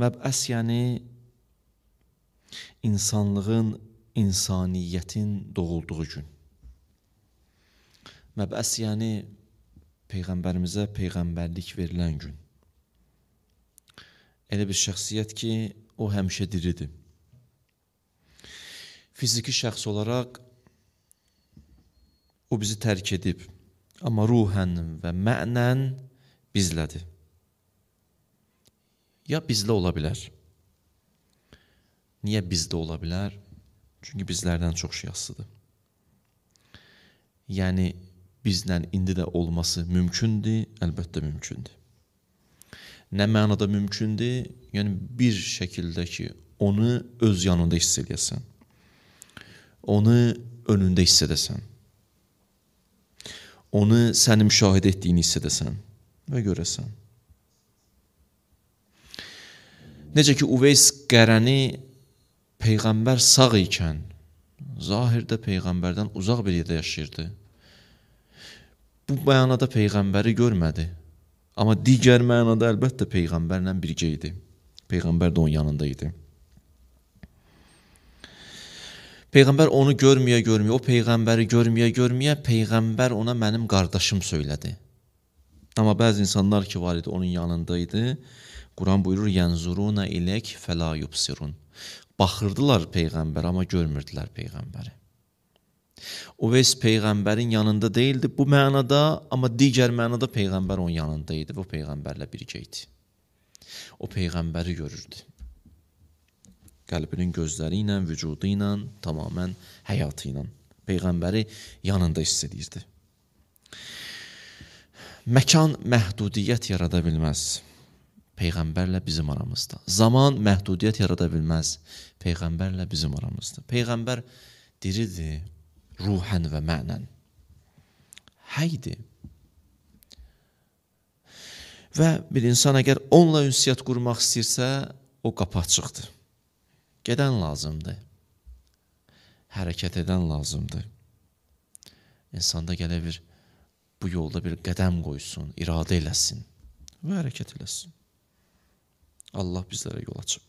Məb'əs yəni insanlığın, insaniyyətin doğulduğu gün. Məb'əs yəni Peyğəmbərimizə peyğəmbərlik verilən gün. Elə bir şəxsiyyət ki, o həmişə diridir. Fiziki şəxs olaraq o bizi tərk edib, amma ruhən və mənən bizlədir. Ya bizlə ola bilər. Niyə bizdə ola bilər? Çünki bizlərdən çox şey asılıdır. Yəni, bizlə indi də olması mümkündür, əlbəttə mümkündür. Nə mənada mümkündür? Yəni, bir şəkildə ki, onu öz yanında hiss edəsən. Onu önündə hiss edəsən. Onu sənin müşahidə etdiyini hiss edəsən və görəsən. Necə ki, Uveys Qərəni Peyğəmbər sağ ikən, zahirdə Peyğəmbərdən uzaq bir yerdə yaşayırdı. Bu mənada Peyğəmbəri görmədi. Amma digər mənada əlbəttə Peyğəmbərlə birgə idi. Peyğəmbər də onun yanında idi. Peyğəmbər onu görməyə, o Peyğəmbəri görməyə, Peyğəmbər ona mənim qardaşım söylədi. Amma bəzi insanlar ki, var idi, onun yanındaydı. Quran buyurur, yənzuruna ilək fəla yubsirun. Baxırdılar Peyğəmbər, amma görmürdülər Peyğəmbəri. Uveys Peyğəmbərin yanında deyildi bu mənada, amma digər mənada Peyğəmbər onun yanında idi və o Peyğəmbərlə birgə idi. O Peyğəmbəri görürdü. Qəlbinin gözləri ilə, vücudu ilə, tamamən həyatı ilə. Peyğəmbəri yanında hiss edirdi. Məkan məhdudiyyət yarada bilməz Peyğəmbərlə bizim aramızda. Zaman məhdudiyyət yarada bilməz Peyğəmbərlə bizim aramızda. Peyğəmbər diridir, ruhən və mənən. Həydir. Və bir insan əgər onunla ünsiyyət qurmaq istəyirsə, o qapı açıqdır. Gedən lazımdır. Hərəkət edən lazımdır. İnsanda gələ bir, bu yolda bir qədəm qoysun, iradə eləsin və hərəkət eləsin. Allah bizlərə yol açıb.